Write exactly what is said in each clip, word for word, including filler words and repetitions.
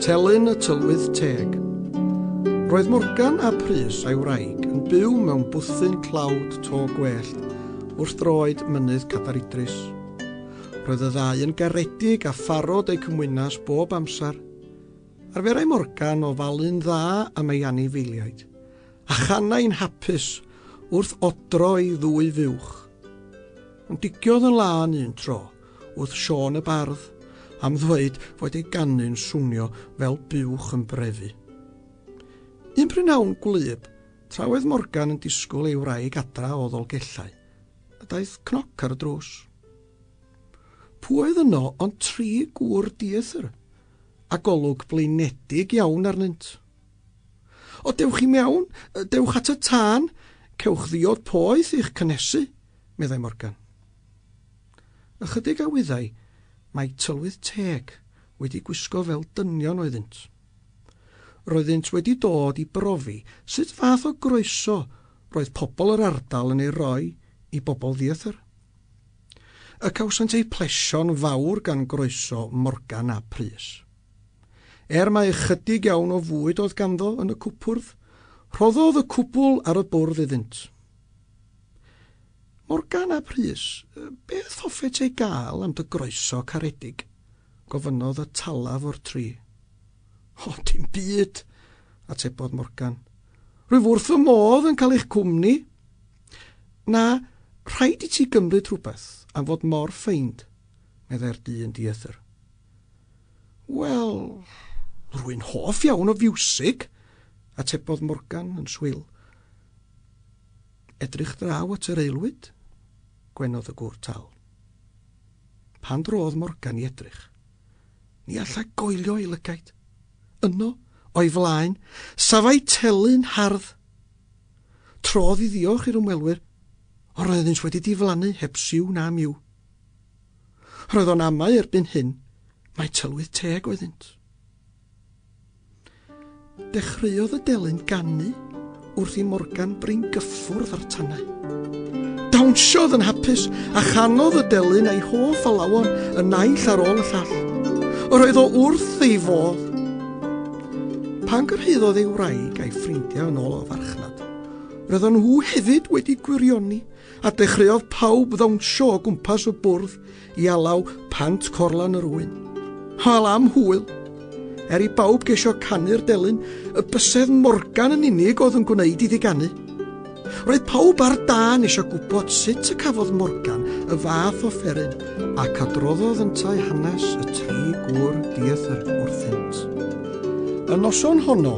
Telyn y Tylwyth Teg. Roedd Morgan a Prys a'i wraig yn byw mewn bwthyn tlawd to gwellt wrth droed mynydd Cadair Idris. Roedd y ddau yn garedig a pharod eu cymwynas bob amser. Arferai Morgan ofalu'n dda am ei anifeiliaid, a chanai'n hapus wrth odro ei ddwy fuwch. Ond digiodd yn lân un tro wrth Siôn y Bardd am ddweud fod ei ganu'n swnio fel buwch yn brefu. Un prynhawn gwlyb, tra oedd Morgan yn disgwyl ei wraig adra o Ddolgellau, y daeth cnoc ar y drws. Pwy oedd yno ond tri gŵr dieithr, a golwg blinedig iawn arnynt. O, dewch i mewn, dewch at y tân, cewch ddiod poeth i'ch cynnesu, meddai Morgan. Ychydig a wyddai mae tylwyth teg wedi gwisgo fel dynion oeddynt. Roeddynt wedi dod i brofi sut fath o groeso roedd pobl yr ardal yn ei roi i bobl ddieithr. Y cawsant eu plesio'n fawr gan groeso Morgan a Prys. Er mai ychydig iawn o fwyd oedd ganddo yn y cwpwrdd, rhoddodd y cwbl ar y bwrdd iddynt. Morgan a Prys, beth hoffet ei gael am dy groeso caredig? Gofynnodd y talaf o'r tri. O, dim byd, atebodd Morgan. Rwyf wrth fy modd yn cael eich cwmni. Na, rhaid i ti gymryd rhywbeth am fod mor ffeind, meddai'r dyn dieithr. Wel, rwy'n hoff iawn o fiwsig, atebodd Morgan yn swil. Edrych draw at yr aelwyd, gwenodd y gŵr tal. Pan drodd Morgan i edrych, ni allai goelio ei lygaid. Yno, o'i flaen, safai telyn hardd. Trodd i ddiolch i'r ymwelwyr, ond roeddynt wedi diflannu heb siw na miw. Roedd o'n amau erbyn hyn mai tylwyth teg oeddynt. Dechreuodd y delyn ganu wrth i Morgan brin gyffwrdd ar tanau. Dawnsiodd yn hapus a chanodd y delyn a'i hoff alawon y naill ar ôl y llall. Yr oedd o wrth ei fodd. Pan gyrhaeddodd ei wraig a'i ffrindiau yn ôl o farchnad, roedden nhw hefyd wedi gwirioni a dechreuodd pawb ddawnsio o gwmpas y bwrdd i alaw Pant Corlan yr Ŵyn. Hwyl am hwyl! Er i bawb geisio canu'r delyn, y bysedd Morgan yn unig oedd yn gwneud iddi ganu. Roedd pawb ar dân eisiau gwybod sut y cafodd Morgan y fath offeryn, ac adroddodd yntau hanes y tri gŵr dieithr wrthynt. Y noson honno,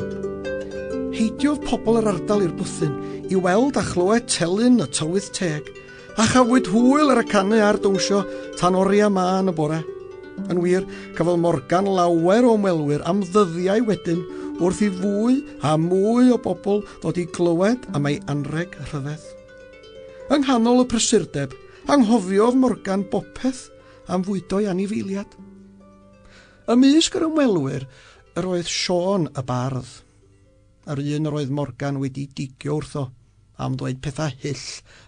heidiodd pobl yr ardal i'r bwthyn i weld a chlywed telyn y tylwyth teg, a chafwyd hwyl ar y canu a'r dawnsio tan oriau mân y bore. Yn wir, cafodd Morgan lawer o ymwelwyr am ddyddiau wedyn wrth i fwy a mwy o bobl ddod i glywed am ei anrheg rhyfedd. Yng nghanol y prysurdeb, anghofiodd Morgan bopeth am fwydo'i anifeiliad. Ymysg yr ymwelwyr yr oedd Siôn y Bardd, yr un yr oedd Morgan wedi digio wrtho am ddweud pethau hyll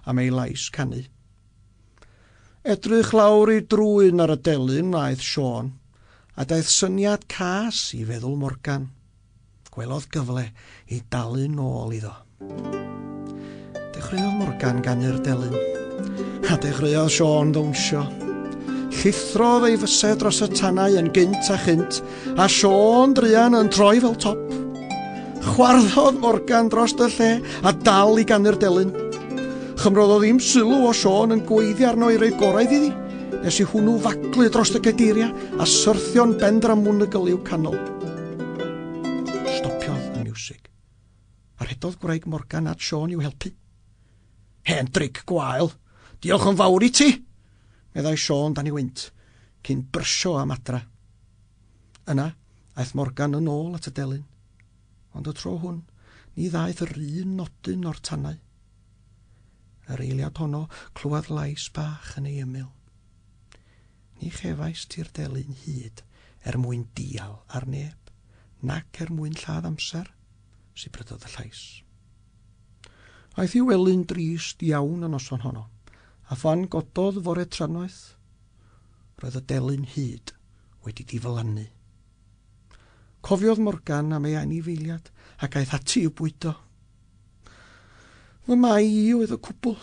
am ei lais canu. Edrych lawr ei drwyn ar y delyn wnaeth Siôn, a daeth syniad cas i feddwl Morgan. Gwelodd gyfle i dalu nôl iddo. Dechreuodd Morgan ganu'r delyn, a dechreuodd Siôn ddawnsio. Llithrodd ei fysedd dros y tanau yn gynt a chynt, a Siôn druan yn troi fel top. Chwarddodd Morgan dros y lle a dal i ganu'r delyn. Chymrodd o ddim sylw o Siôn yn gweiddi arno i roi gorau iddi, nes i hwnnw faglu dros y cadeiriau a syrthio'n bendramwnwgl i'w canol. Stopiodd y miwsig, a rhedodd gwraig Morgan at Siôn i'w helpu. Hen dric gwael, diolch yn fawr i ti, meddai Siôn dan ei wynt, cyn brysio am adra. Yna, aeth Morgan yn ôl at y delyn, ond y tro hwn, ni ddaeth yr un nodyn o'r tanau. Yr eiliad honno clywed lais bach yn ei ymyl. Ni chefais ti'r delyn hyd er mwyn dial ar neb, nac er mwyn lladd amser, sibrydodd y llais. Aeth i wely'n drist iawn y noson honno, a phan gododd fore trannoeth, roedd y delyn hyd wedi diflannu. Cofiodd Morgan am ei anifeiliad ac aeth ati i'w bwydo. Fy mai i oedd y cwbl,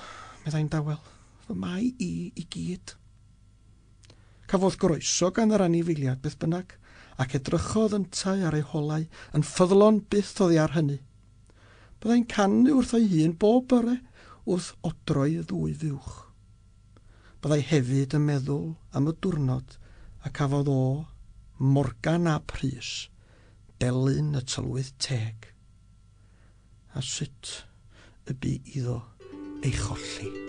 meddai'n dawel. Fy mai i i gyd. Cafodd groeso gan yr anifeiliad beth bynnag, ac edrychodd yntau ar ei holau yn ffyddlon byth oddi ar hynny. Byddai'n canu wrth ei hun bob bore wrth odroi ddwy fuwch. Byddai hefyd yn meddwl am y diwrnod a cafodd o, Morgan ap Rhys, delyn y tylwyth teg. A sut y bu iddo ei cholli.